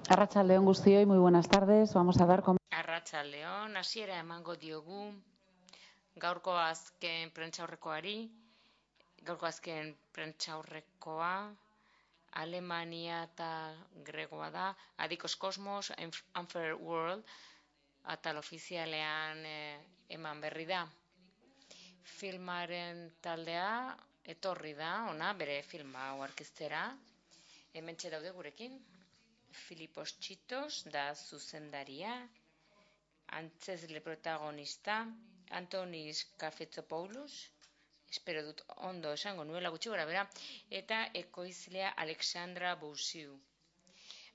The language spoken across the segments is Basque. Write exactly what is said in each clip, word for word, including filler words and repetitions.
Arratsaldeon guztioi, muy buenas tardes. Vamos a dar com... Arratsaldeon, hasiera emango diogu gaurko azken prentsaurrekoari. Gaurko azken prentsaurrekoa Alemania eta Gregoa da. Adikos Kosmos, Unfair World, atal ofizialean eh, eman berri da. Filmaren taldea etorri da, ona, bere filma hau aurkeztera. Hementxe daude gurekin. Filipos Txitos da zuzendaria. Antzezle protagonista, Antonis Kafetzopoulos, espero dut ondo esango nuela gutxi gora bera, eta ekoizlea Alexandra Boussiu.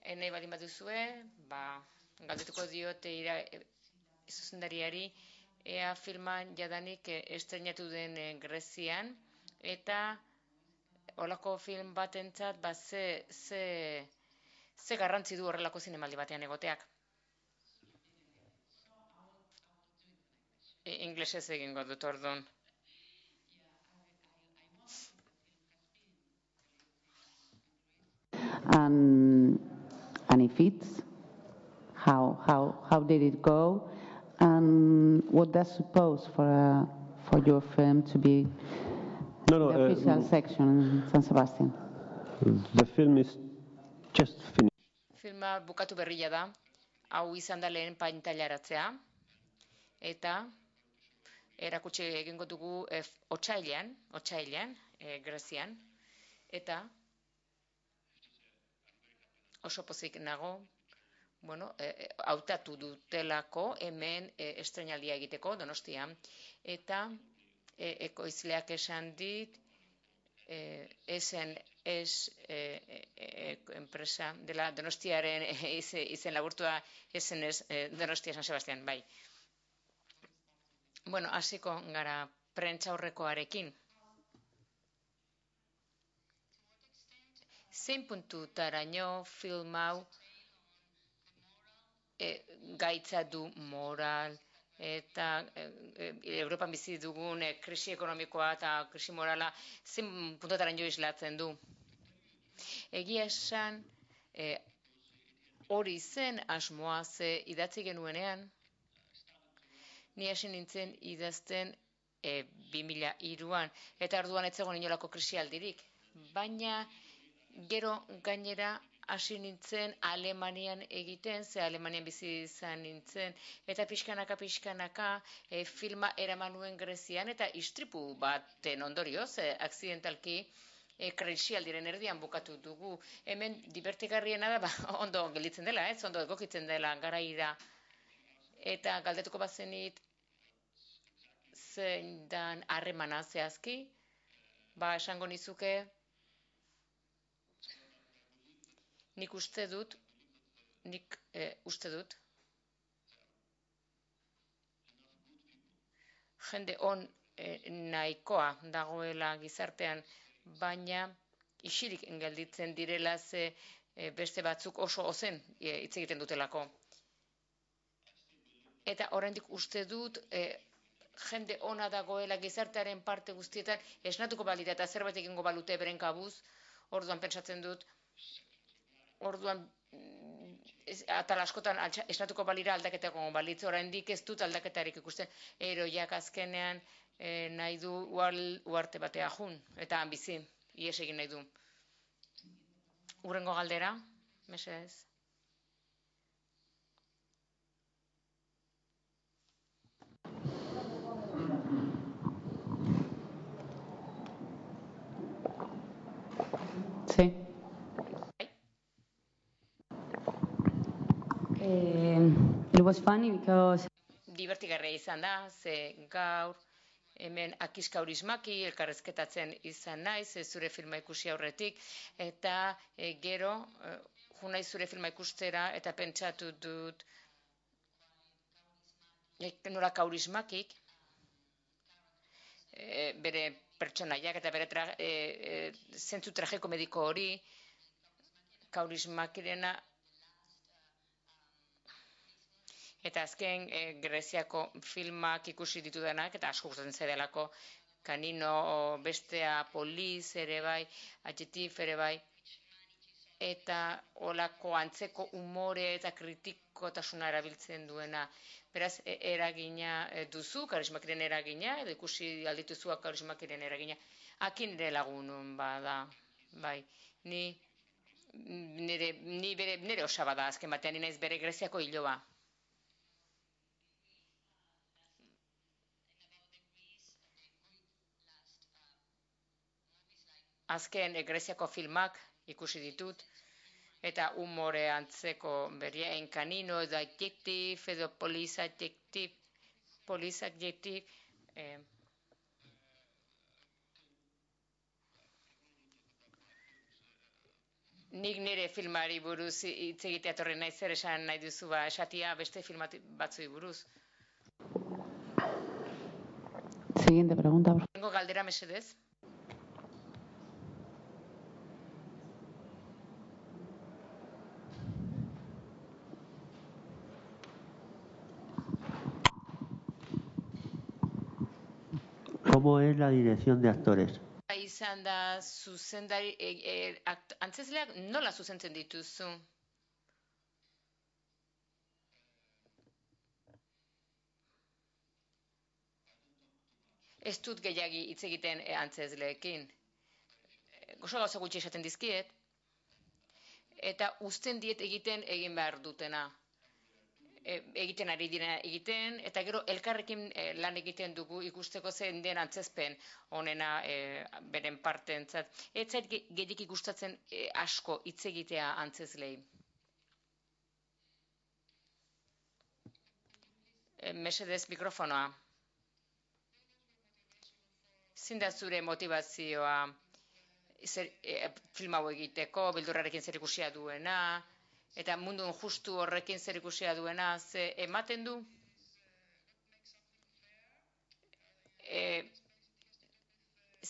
E, nahi baldin baduzue, ba, galdetuko diote ira, e, zuzendariari, ea filman jadanik e, estrenatu den e, Grezian, eta holako film batentzat, ba, ze, ze, ze garrantzi du horrelako zinemaldi batean egoteak. Inglesez egingo dut orduan. And, and if it's, how, how, how did it go? And what does suppose for, a, for your film to be no, no, the official uh, section in San Sebastian? The film is just finished. Filma bukatu berria da, hau izan da lehen pantailaratzea, eta erakutsi egingo dugu e, otsailean, otsailean, e, Grezian, eta oso pozik nago, bueno, e, hautatu dutelako hemen e, estrenaldia egiteko Donostian, eta e, ekoizleak esan dit, e, esen ez e, e, enpresa dela Donostiaren e, izen, izen laburtua esen ez e, Donostia San Sebastian, bai. Bueno, hasiko gara prentsaurrekoarekin. Zein puntutaraino film hau e, gaitza du moral eta e, e, Europan bizi dugun e, krisi ekonomikoa eta krisi morala zein puntutaraino islatzen du. Egia esan e, hori zen asmoa ze idatzi genuenean, ni hasi nintzen idazten e, bi mila hiruan, eta orduan ez zegoen inolako krisialdirik. Baina gero gainera hasi nintzen Alemanian egiten, ze Alemanian bizi izan nintzen, eta pixkanaka pixkanaka e, filma eraman nuen Grezian, eta istripu baten ondorioz, e, akzidentalki, e, krisialdiren erdian bukatu dugu. Hemen divertigarriena da, ba, ondo gelditzen dela, ez, ondo egokitzen dela garaira. Eta galdetuko bazenit zein dan harremana zehazki, ba esango nizuke, nik uste dut, nik e, uste dut, jende on e, nahikoa dagoela gizartean, baina isilik gelditzen direla ze e, beste batzuk oso ozen e, hitz egiten dutelako. Eta oraindik uste dut, e, jende ona dagoela gizartearen parte guztietan esnatuko balita eta zerbait egingo balute beren kabuz, orduan pentsatzen dut, orduan atal askotan esnatuko balira aldaketa egongo balitz, oraindik ez dut aldaketarik ikusten, eroiak azkenean e, nahi du uarte batea jun, eta bizi, ies egin nahi du. Urrengo galdera, mesedez. Sí. Uh, it was funny because... Divertigarria izan da, ze gaur hemen akiskaurismaki elkarrezketatzen izan naiz, zure filma ikusi aurretik, eta e, gero, e, jo naiz zure filma ikustera, eta pentsatu dut, e, nola kaurismakik, e, bere pertsonaiak eta bere tra, e, e, zentzu tragiko mediko hori, kaurismakirena, eta azken e, Greziako filmak ikusi ditudanak, eta asko gustatzen zaidalako, Kanino, bestea, Poliz ere bai, Adjektif ere bai, eta olako antzeko umore eta kritikotasuna erabiltzen duena. Beraz, eragina duzu, karismakiren eragina, edo ikusi aldituzuak karismakiren eragina. Akin nire lagunun bada, bai, ni, nire, ni bere, nire osaba da, azken batean, nire bere Greziako hiloa. Azken Greziako filmak ikusi ditut, eta umore antzeko beria, enkanino edo adjektif, edo poliz adjektif, poliz adjektif, eh, nik nire filmari buruz hitz egitea torri nahi zer esan nahi duzu, ba, esatia beste filmat batzui buruz. Siguiente pregunta, por favor. Tengo galdera mesedez. ¿Cómo es la dirección de actores? Izan da zuzendari, e, e, akt, antzezleak nola zuzentzen dituzu? Ez dut gehiagi hitz egiten e, antzezleekin. Gozo gauza gutxi esaten dizkiet, eta uzten diet egiten egin behar dutena. E, egiten ari dira egiten, eta gero elkarrekin e, lan egiten dugu ikusteko zen den antzezpen honena e, beren partentzat. Ez zait gehiagik gustatzen e, asko hitz egitea antzezlei. E, mesedez mikrofonoa. Zein da zure motivazioa zer, e, film hau egiteko, beldurrarekin zer ikusia duena, eta mundu justu horrekin zer ikusia duena, ze ematen du e,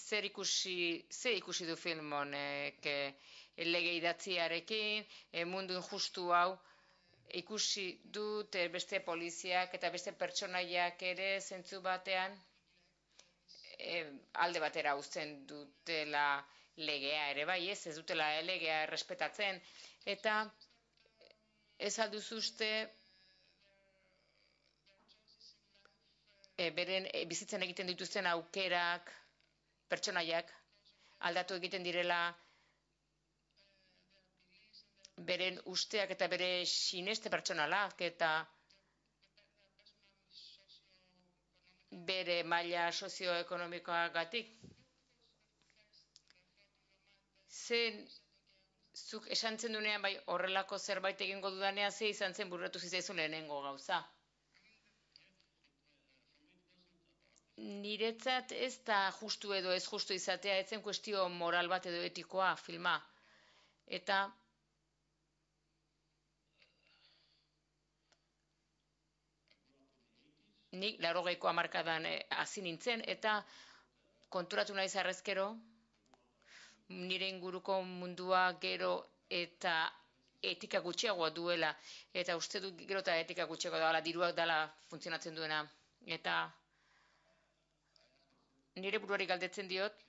zer ikusi, zer ikusi du film honek e, lege idatziarekin, e, mundu injustu hau ikusi dut e, beste poliziak eta beste pertsonaiak ere zentzu batean e, alde batera uzten dutela legea ere bai, ez, ez dutela legea errespetatzen, eta ez alduzu uste e, beren e, bizitzen egiten dituzten aukerak, pertsonaiak, aldatu egiten direla beren usteak eta bere sineste pertsonalak eta bere maila sozioekonomikoagatik. Zen, zuk esan zen dunean, bai, horrelako zerbait egingo dudanean, ze izan zen burratu zitzaizun lehenengo gauza. Niretzat ez da justu edo ez justu izatea, ez zen kuestio moral bat edo etikoa filma. Eta nik laurogeiko hamarkadan hasi nintzen, eta konturatu naiz arrezkero, nire inguruko mundua gero eta etika gutxiagoa duela, eta uste dut gero eta etika gutxiagoa dela, diruak dela funtzionatzen duena. Eta nire buruari galdetzen diot,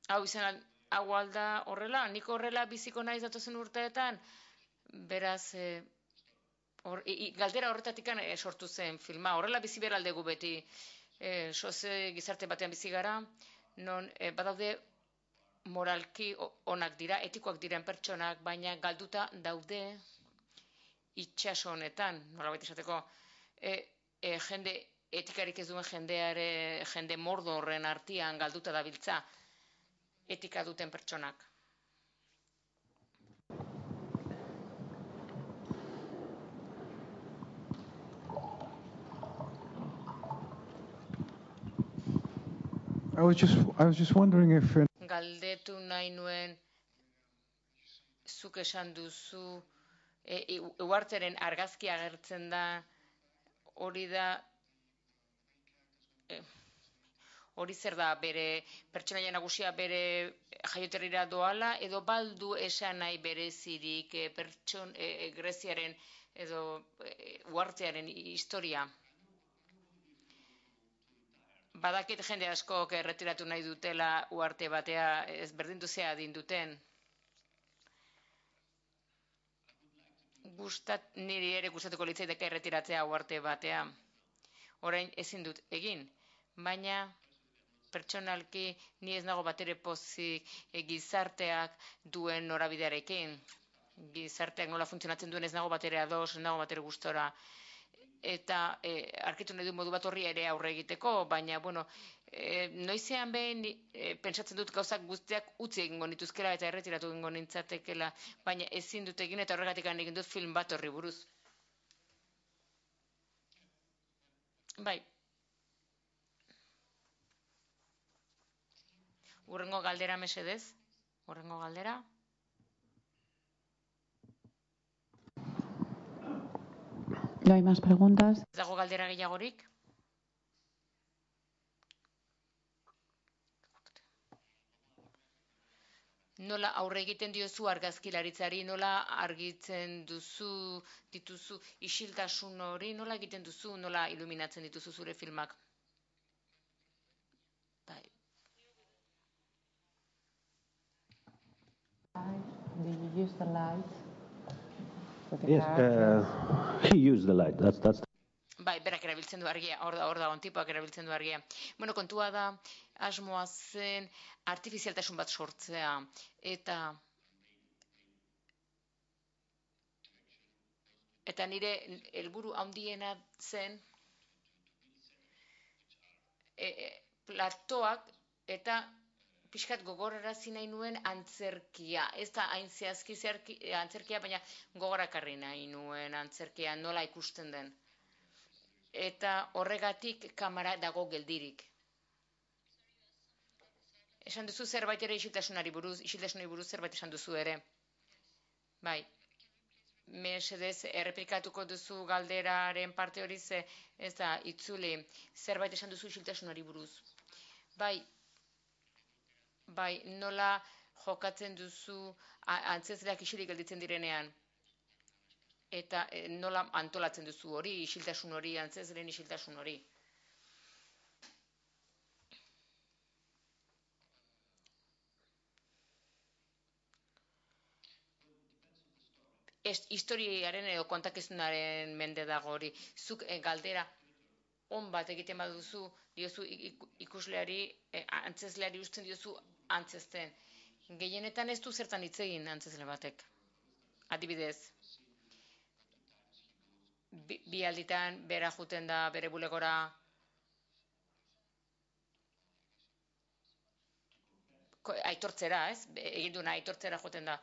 hau izan, hau alda horrela, nik horrela biziko naiz datozen urteetan, beraz, e, or, i, galdera horretatik e, sortu zen filma, horrela bizi behar aldegu beti, e, soze gizarte batean bizi gara, non e, badaude moralki onak dira, etikoak diren pertsonak, baina galduta daude itxaso honetan, nolabait esateko, e, e, jende etikarik ez duen jendeare, jende mordo horren artean galduta dabiltza etika duten pertsonak. I was just I was just wondering if uh, Galdetu nahi nuen zuk esan duzu e, uharteren argazki agertzen da hori da e, hori zer da bere pertsonaia nagusia bere jaioterrira doala edo baldu esan nahi berezirik e, pertson e, Greziaren edo e, uhartearen historia. Badakit jende askok erretiratu nahi dutela uharte batea, ez berdindu zea adin duten. Gustat, niri ere gustatuko litzaidake erretiratzea uharte batea. Orain ezin dut egin, baina pertsonalki ni ez nago batere pozik e, gizarteak duen norabidearekin. Gizarteak nola funtzionatzen duen ez nago batere ados, ez nago batere gustora. Eta e, arkitu nahi du modu bat horri ere aurre egiteko, baina, bueno, e, noizean behin e, pentsatzen dut gauzak guztiak utzi egingo nituzkela eta erretiratu egingo nintzatekela, baina ezin dut egin eta horregatik egin dut film bat horri buruz. Bai. Urrengo galdera mesedez. Urrengo galdera. ¿No hay más preguntas? Ez dago galdera gehiagorik? Nola aurre egiten diozu argazkilaritzari, nola argitzen duzu, dituzu isiltasun hori, nola egiten duzu, nola iluminatzen dituzu zure filmak? Bai. Do you use the light? Yes, uh, he used the light. That's that's. Bai, berak erabiltzen du argia, hor da, hor da, ontipoak erabiltzen du argia. Bueno, kontua da, asmoa zen artifizialtasun bat sortzea, eta eta nire helburu handiena zen e, e, platoak eta pixkat gogorarazi nahi nuen antzerkia. Ez da hain zehazki antzerkia, baina gogorakarri nahi nuen antzerkia nola ikusten den. Eta horregatik kamera dago geldirik. Esan duzu zerbait ere isiltasunari buruz, isiltasunari buruz zerbait esan duzu ere. Bai. Mesedez, errepikatuko duzu galderaren parte hori ze, ez da, itzuli, zerbait esan duzu isiltasunari buruz. Bai, bai, nola jokatzen duzu antzezleak isilik gelditzen direnean. Eta e, nola antolatzen duzu hori, isiltasun hori, antzezleen isiltasun hori. Ez, historiaren edo kontakizunaren mende dago hori. Zuk e, galdera on bat egiten baduzu, diozu ikusleari, e, antzezleari usten diozu antzezten. Gehienetan ez du zertan hitz egin antzezle batek. Adibidez, bi, bi alditan bera juten da bere bulegora, aitortzera, ez? Egin duna aitortzera joten da.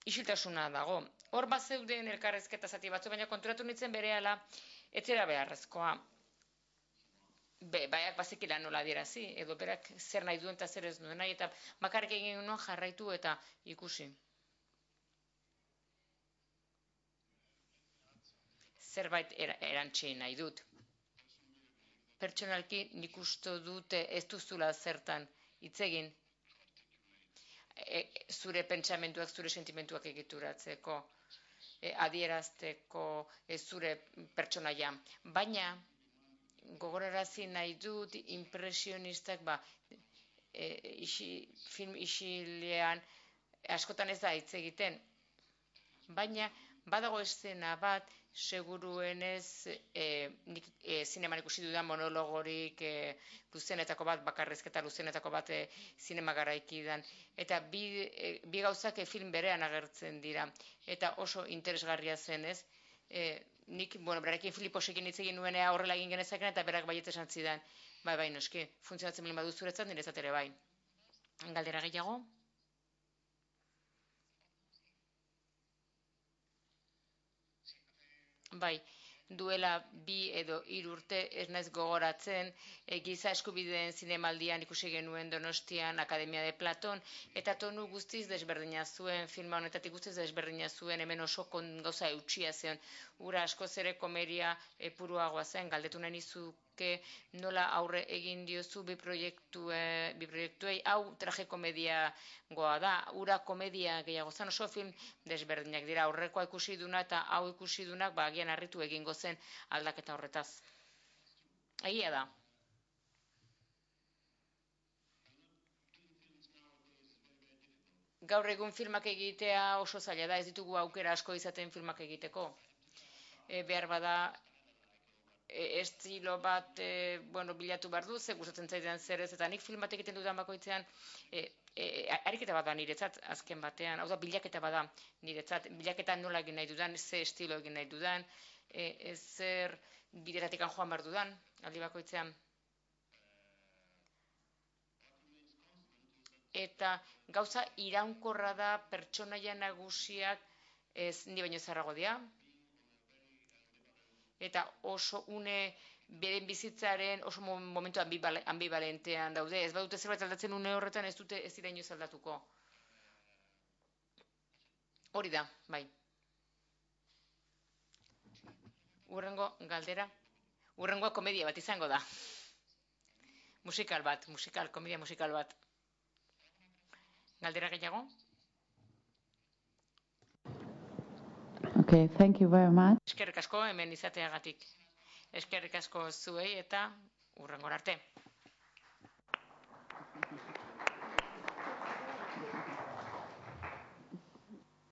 Isiltasuna dago. Hor bat zeuden elkarrezketa zati batzu, baina konturatu nintzen berehala etzera beharrezkoa. Be, baiak bazekila nola adierazi, edo berak zer nahi duen eta zer ez duen nahi, eta bakarrik egin nuen jarraitu eta ikusi. Zerbait er, erantzi nahi dut. Pertsonalki nik uste dute ez duzula zertan hitz egin. E, zure pentsamentuak, zure sentimentuak egituratzeko, e, adierazteko e, zure pertsonaia. Baina, gogorarazi nahi dut impresionistak, ba, e, isi, film isilean askotan ez da hitz egiten. Baina, badago eszena bat, seguruenez, e, nik e, zineman ikusi dudan monologorik e, luzenetako bat, bakarrizketa luzenetako bat e, zinema garaikidan. Eta bi, e, bi gauzak e, film berean agertzen dira. Eta oso interesgarria zen, ez? E, nik, bueno, berarekin Filiposekin hitz egin nuenea horrela egin genezaken, eta berak baiet esan zidan. Bai, bai, noski, funtzionatzen bilin badu zuretzat, niretzat ere bai. Galdera gehiago? Bai, duela bi edo hiru urte ez naiz gogoratzen, e, giza eskubideen zinemaldian ikusi genuen Donostian Akademia de Platon, eta tonu guztiz desberdina zuen, filma honetatik guztiz desberdina zuen, hemen oso kon, gauza eutxia zen, ura askoz ere komeria e, puruagoa zen, galdetu nahi nizuke nola aurre egin diozu bi, proiektu, e, bi proiektuei, hau traje komediagoa da, ura komedia gehiago zen, oso film desberdinak dira, aurrekoa ikusi duna eta hau ikusi dunak, ba, agian harritu egingo zen aldaketa horretaz. Egia da. gaur egun filmak egitea oso zaila da, ez ditugu aukera asko izaten filmak egiteko. E, behar bada, e, estilo bat e, bueno, bilatu behar du, ze gustatzen zaidan zer ez, eta nik film bat egiten dudan bakoitzean, e, e, ariketa bada niretzat azken batean, hau da bilaketa bada niretzat, bilaketa nola egin nahi dudan, ze estilo egin nahi dudan, e, zer bideratik joan behar dudan, aldi bakoitzean. Eta gauza iraunkorra da pertsonaia nagusiak ez ni baino zarrago dira. Eta oso une beren bizitzaren oso momentu ambivalentean daude. Ez badute zerbait aldatzen une horretan ez dute ez dira inoiz aldatuko. Hori da, bai. Urrengo galdera. Urrengoa komedia bat izango da. Musikal bat, musikal, komedia musikal bat. Galdera gehiago? Okay, thank you very much. Eskerrik asko hemen izateagatik. Eskerrik asko zuei eta urrengora arte.